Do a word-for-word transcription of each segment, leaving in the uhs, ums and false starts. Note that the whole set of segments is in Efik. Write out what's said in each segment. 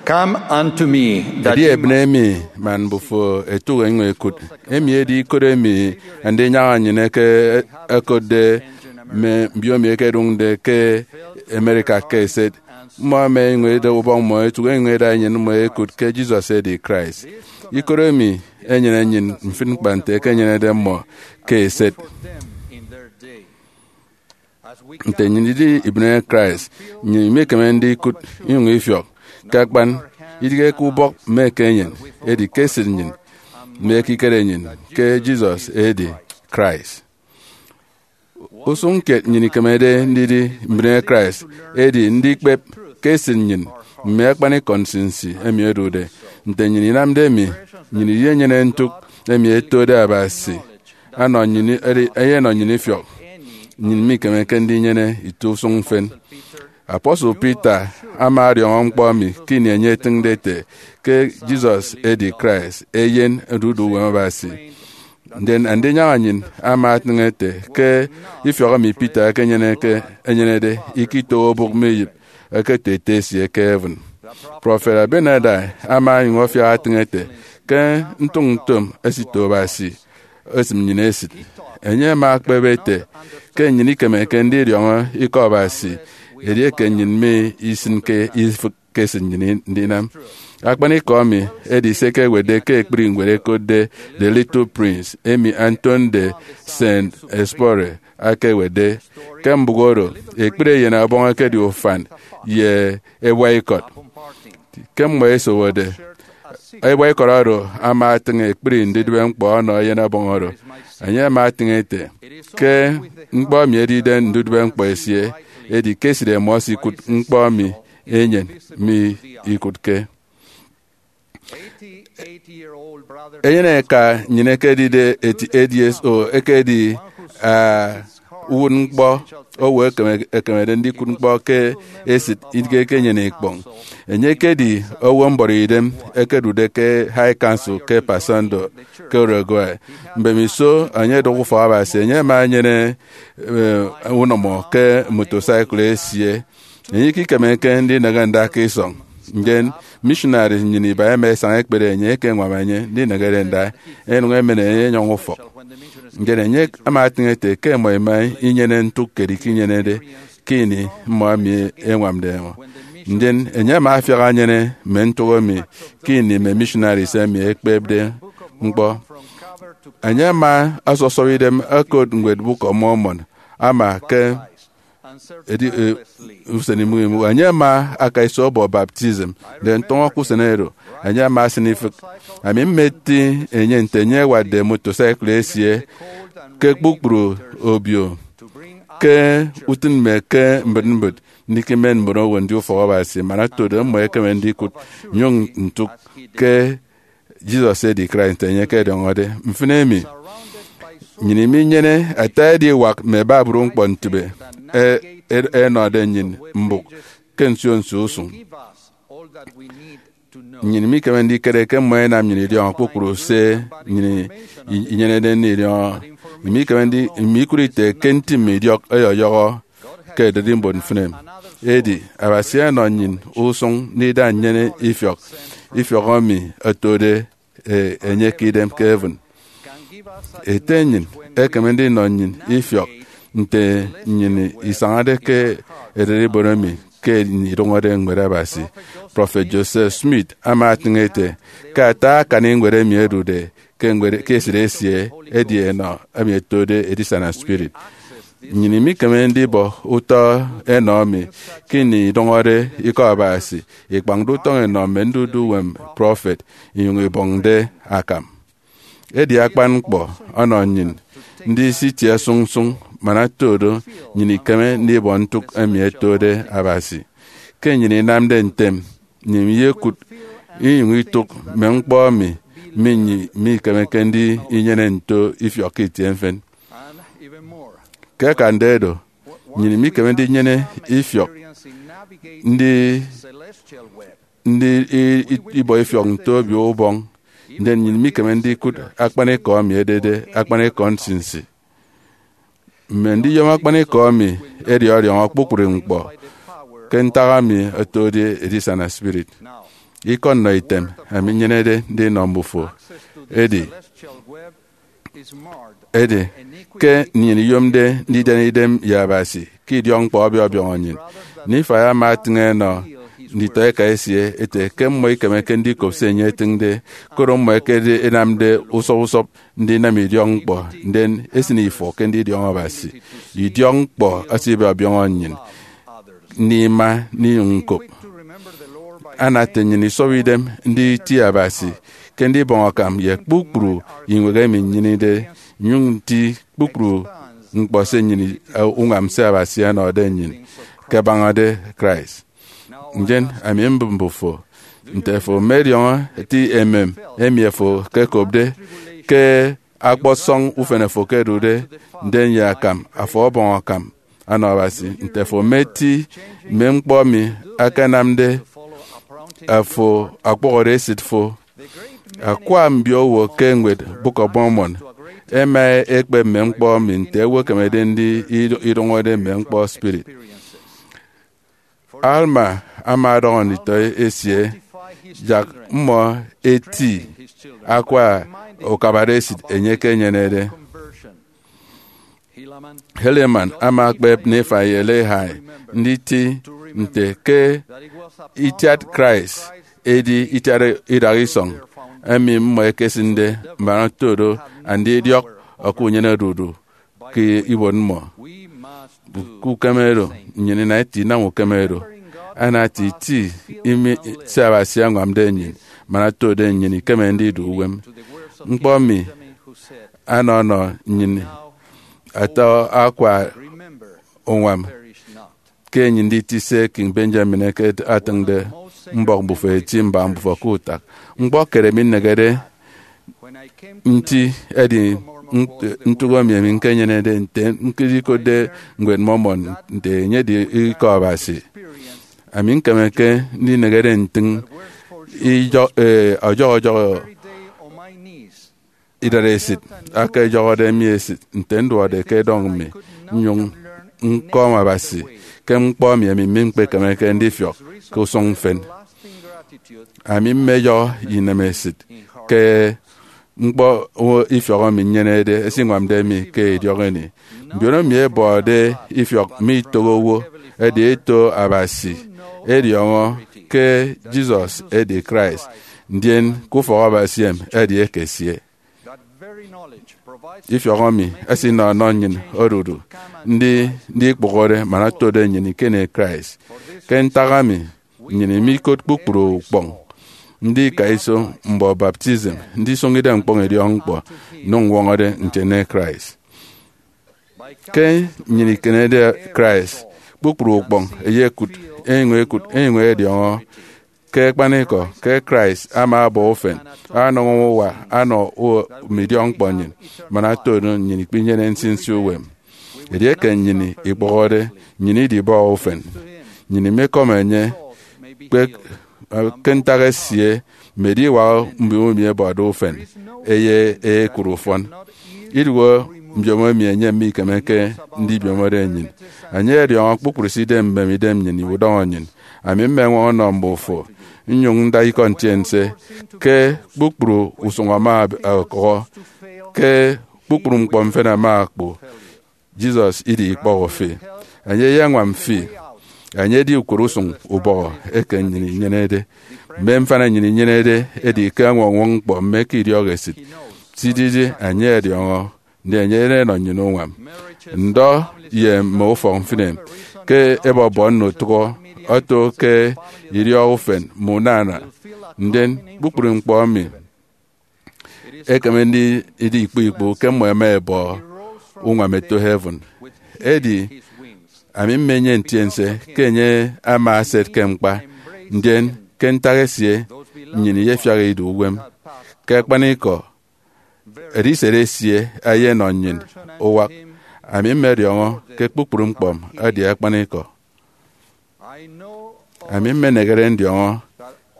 Come unto me, that edi ye ebịne mi man mbufo ẹtụk ẹnyụñ ẹkụt. Emi edi ikot emi Andinyaña nnyịn eke ẹkotde mme mbiomi ẹkedụñde ke America ke eset. Mmọ ẹma ẹnyụñ ẹda ubọk mmọ ẹtụk ẹnyụñ ẹda enyịn mmọ ẹkụt ke Jesus edi Christ. Ikot emi enyene nnyịn mfịn ñkpa nte ẹkenyenede mmọ ke eset. Nte nnyịn idi ibịne Christ, nnyịn imikeme ndikụt inyụñ ifiọk ke akpan, idighe ke ubọk mme ke enyịn, edi ke esịt nnyịn mme ekikere nnyịn ke Jesus edi Christ. Usụñ kiet nnyịn ikemede ndidi mbịne Christ edi ndikpep ke esịt nnyịn mme akpanikọ nsinsi emi odude. Nte nnyịn inamde emi, nnyịn iyenyene ntụk emi etode Abasi anọ nnyịn, edi, eyenọ nnyịn ifiọk. Nnyịn mikemeke ndinyene ito usụñ mfịn. Apostle Peter ama ọdiọñọ ñkpọ emi ke ini enye etịñde ete ke Jesus edi Christ, eyen odudu uwem Abasi. Ndien Andinyaña nnyịn ama atịñ ete ke ifiọk emi Peter ekenyeneke, enyenede ikito obụk mme iyịp eketo Ete esie ke heaven. Prọfet Abinadi ama onyụñ ọfiak atịñ ete ke ntụñutom esito Abasi esịm nnyịn esịt. Enye ama ekpep ete ke nnyịn ikemeke ndidiọñọ Ikọ Abasi edieke nnyịn mi isịnke ifịk ke esịt nnyịn ndinam. Akpanikọ emi edi se ẹkewetde ke ekpri ñwed ẹkotde The Little Prince, emi Antoine de Saint-Exupéry ekewetde. Ke mbụk oro, ekpri eyen ọbọñ ekedi ufan ye ebuaikọt. Ke mmọ ẹsowode, ebuaikọt oro ama atịñ ekpri ndidịbe ñkpọ ọnọ eyen ọbọñ oro. Enye ama atịñ ete ke ñkpọ emi edide ndudịbe ñkpọ esie, edi ke esịt ẹmọ ẹsikụt ñkpọ emi enyịn mi ikụtke. Enyene eka nnyịn ekedide eighty-eight years old ekedi, ah, uwụtñkpọ owo ekeme-, ekemede ndikụt ñkpọ ke esịt idighe ke enyene ikpọñ. Enye ekedi owo mbọrọidem ekedude ke High Council ke Paysandú ke Uruguay. Mbemiso enye odụk ufọk Abasi, enye ama enyene, eh, unọmọ ke motosaikụl esie. Enye ikikemeke ndinịghe nda ke isọñ. Ndien missionaries nnyịn iba ẹma ẹsaña ẹkpere enye ke ẹñwam enye ndinịghede nda, ẹnyụñ ẹmen enye ẹnyọñ ufọk. Ndien enye ama atịñ ete ke ẹmọ ẹma inyene ntụk kiet ikinyenede ke ini mmọ emi ẹñwamde ẹmọ. Ndien enye ama afiak enyene mme ntụk emi ke ini mme missionaries emi ẹkpepde ñkpọ. Enye ama ọsọsọp idem ẹkot ñwed Book of Mormon ama ke edi, eh, usen imụk imụk. Enye ama aka iso ọbọ baptism, ndien ntọñọ ke usen oro, enye ama asịn ifịk. Ami mmeti enye nte enye ewatde motosaikụl esie ke kpukpru obio ke utịn mme ke mbịt mbịt, ndikimen mbon owo ndi ufọk Abasi, man otodo mmọ ẹkeme ndikụt nnyụñ ntụk ke Jesus edi Christ nte enye ekediọñọde. Mfịn emi, nnyịn iminyene ata ediwak mme babru ñkpọ ntịbe e-, e-, ẹnọde nnyịn mbụk ke nsio nsio usụñ. Nnyịn mikeme ndikere ke mmọ ẹnam nnyịn idiọñọ kpukpru se nnyịn i-, inyenede ndidiọñọ. Imikeme ndi-, imikụt ite ke nti mme idiọk ọyọyọhọ ke ererimbot mfịn emi. Edi, Abasi ọnọ nnyịn usụñ ndida nnyene ifiọk, ifiọk emi otode, e, enye ke idem ke heaven. Ete nnyịn ekeme ndinọ nnyịn ifiọk nte nnyịn isañade ke ererimbot emi ke ini idụñọde ñwed Abasi. Prọfet Joseph Smith ama atịñ ete ke ata akani ñwed emi ẹdude ke ñwed, ke esịt esie, edi enọ emi ẹtode edisana spirit. Nnyịn imikeme ndibọ utọ enọ emi ke ini idụñọde Ikọ Abasi, ikpañde utọñ inọ mme ndudu uwem prọfet, inyụñ ibọñde akam. Edi akpan ñkpọ ọnọ nnyịn ndisitie sụñsụñ man otodo nnyịn ikeme ndibọ ntụk emi ẹtode Abasi. Ke nnyịn inamde ntem, nnyịn iyekụt inyụñ itụk mme ñkpọ emi mi-, mikemeke ndinyene nto ifiọk ke itie mfịn. Ke akande do, nnyịn mikeme ndinyene ifiọk ndi, ndi i-, i-, ibọ ifiọk nto obio ubọñ, ndien nnyịn mikeme ndikụt akpanikọ emi edede akpanikọ nsinsi. Mme ndiyom akpanikọ emi edi ọdiọñọ kpukpru ñkpọ ke ntak emi otode edisana spirit. Ikọ nnọ item ami nyenede ndinọ mbufo edi edi ke nnyịn iyomde ndidian idem ye Abasi ke idiọkñkpọ ọbiọbiọñọ nnyịn. Nifai ama atịñ enọ nditọeka esie ete ke mmọ ikemeke ndikop se enye etịñde, koro mmọ ẹkedi ẹnamde usọp usọp ndinam idiọkñkpọ, ndien esịne ifo ke ndidiọñọ Abasi. Idiọkñkpọ asibiọbiọñọ nnyịn ndima ndinyụñ ñkop. Anate nnyịn isọbọ idem nditi Abasi ke ndibọñ akam ye kpukpru iñwehe emi nnyenede, nyụñ nti kpukpru ñkpọ se nnyịn uñwam se Abasi ọnọde nnyịn ke ẹbañade Christ. Ndien ami mbụp mbufo nte fo mediọñọ eti emem emi fo ekekopde ke akpọsọñ ufen fo ke ẹdude, ndien ye akam afo ọbọñ akam ọnọ Abasi, nte fo meti mme ñkpọ emi akanamde afo ọkpọhọde esịt fo. Akwa mbiowo ke ñwed Book of Mormon ẹma ẹkpep mme ñkpọ emi nte owo ekemede ndi idụñọde mme ñkpọ spirit. Alma ama ọdọhọ nditọ esie yak mmọ eti akwa ukabade esịt enye ke enyenede. Helaman ama ekpep Nifai ye Lehi nditi nte ke itiat Christ edi itiat idaha isọñ emi mmọ ẹkesịnde man oto do andidiọk ọkọ unyene odudu ke ibuot mmọ. Ke ukeme oro, nnyịn inaeti inam ukeme oro. Anati iti imi se Abasi añwamde nnyịn man otode nnyịn ikeme ndidu uwem. Ñkpọ emi anọ ọnọ nnyịn ata akwa uñwam ke enyịn nditi se King Benjamin eke atịñde, mbọk mbufo eti mbaña mbufo ke utak. Ñkpọ kiet emi nnehede nti edi nt- ntụk emi emi ñkenyenede nte ñkụt ikotde ñwed Mormon nte enye edi ikọ Abasi. Ami ñkemeke ndinehede ntịñ ijọ- eh, ọjọhọ ọjọhọ idaresit aka ejọhọde mi esịt nte nduọkde ke edọñ mi nnyụñ ñkọm Abasi ke ñkpọ emi emi mi ñkpekemeke ndifiọk ke usụñ mfịn. Ami mmeyọhọ inemesịt ke ñkpọ ifiọk emi nnyenede esiñwamde mi ke idiọk ini. Mbiono mi ẹbọde ifiọk mi itoho owo, edi eto Abasi, ediọñọ ke Jesus edi Christ, ndien ke ufọk Abasi em edi eke esie. Ifiọk emi esinọ ọnọ nnyịn odudu ndi ndikpụhọde man otode nnyịn ikene Christ. Ke ntak emi, nnyịn imikot kpukpru ukpọñ, ndika iso mbọ baptism, ndisụñ idem ñkpọñ idiọkñkpọ, nnyụñ ñwọñọde ntiene Christ. Ke nnyịn ikenede Christ, kpukpru ukpọñ eyekụt, enyụñ ekụt, enyụñ ediọñọ ke akpanikọ ke Christ ama ọbọ ufen, anọñọ uwa, anọ u- mme idiọkñkpọ nnyịn, man otode nnyịn ikpinyene nsinsi uwem. Edieke nnyịn ikpọhọde, nnyịn idibọhọ ufen. Nnyịn imikọm enye, kpek, eh, ke ntak esie, mme ediwak mbiomo emi ẹbọde ufen, eye ekụt ufọn. Idụhe mbiomo emi enye mikemeke ndibiomode nnyịn. Enye ọdiọñọ kpukpru se idem mbem idem nnyịn udọñọ nnyịn. Ami mmeñwọñọ nnọ mbufo, nnyụñ nda ikọ ntiense, ke kpukpru usụñ ama ọkọhọ, ke kpukpru ñkpọ mfịn ama okpu. Jesus idi ikpọhọ fi. Enye eyeñwam fi. Enye edi ukot usụñ ubọhọ eke nnyịn inyenede. Mme mfana nnyịn inyenede edi ke añwọñwọñ ñkpọ mme ke idiọk esịt. Sididi enye ọdiọñọ, ndi enye enọ nnyịn uñwam. Ndọ ye mme ufọk mfịn em ke ẹbọbọ nnọ utụhọ oto ke idiọk ufen mme unana, ndien kpukpru ñkpọ emi ekeme ndidi ikpọ ikpọ ke mmọ ẹma ẹbọ uñwam ẹto heaven. Edi ami mmenyene ntiense ke enye ama eset ke ñkpa, ndien ke ntak esie nnyịn iyefiak idu uwem. Ke akpanikọ, ediset esie eyenọ nnyịn uwak. Ami mmediọñọ ke kpukpru ñkpọ edi akpanikọ. Ami mmenehede ndiọñọ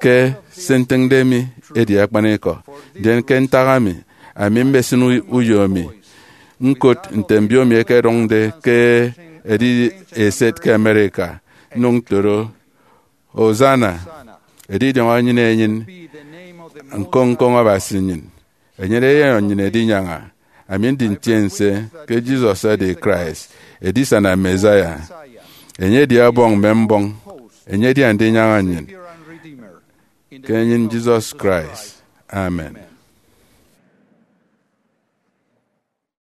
ke se ntịñde mi edi akpanikọ, ndien ke ntak emi, ami mmesịn u- uyo mi ñkot nte mbiomi ẹkedụñde ke edidi eset ke America, nnyụñ ntoro, "Hosanna! edidiọñọ enyịn enyịn, ñkoñ ñkoñ Abasi nnyịn. Enyene eyen nnyịn edinyaña. Ami ndi ntiense ke Jesus edi Christ, edisana Messiah. Enye edi Ọbọñ mme mbọñ. Enye edi Andinyaña nnyịn. Ke enyịn Jesus Christ, amen.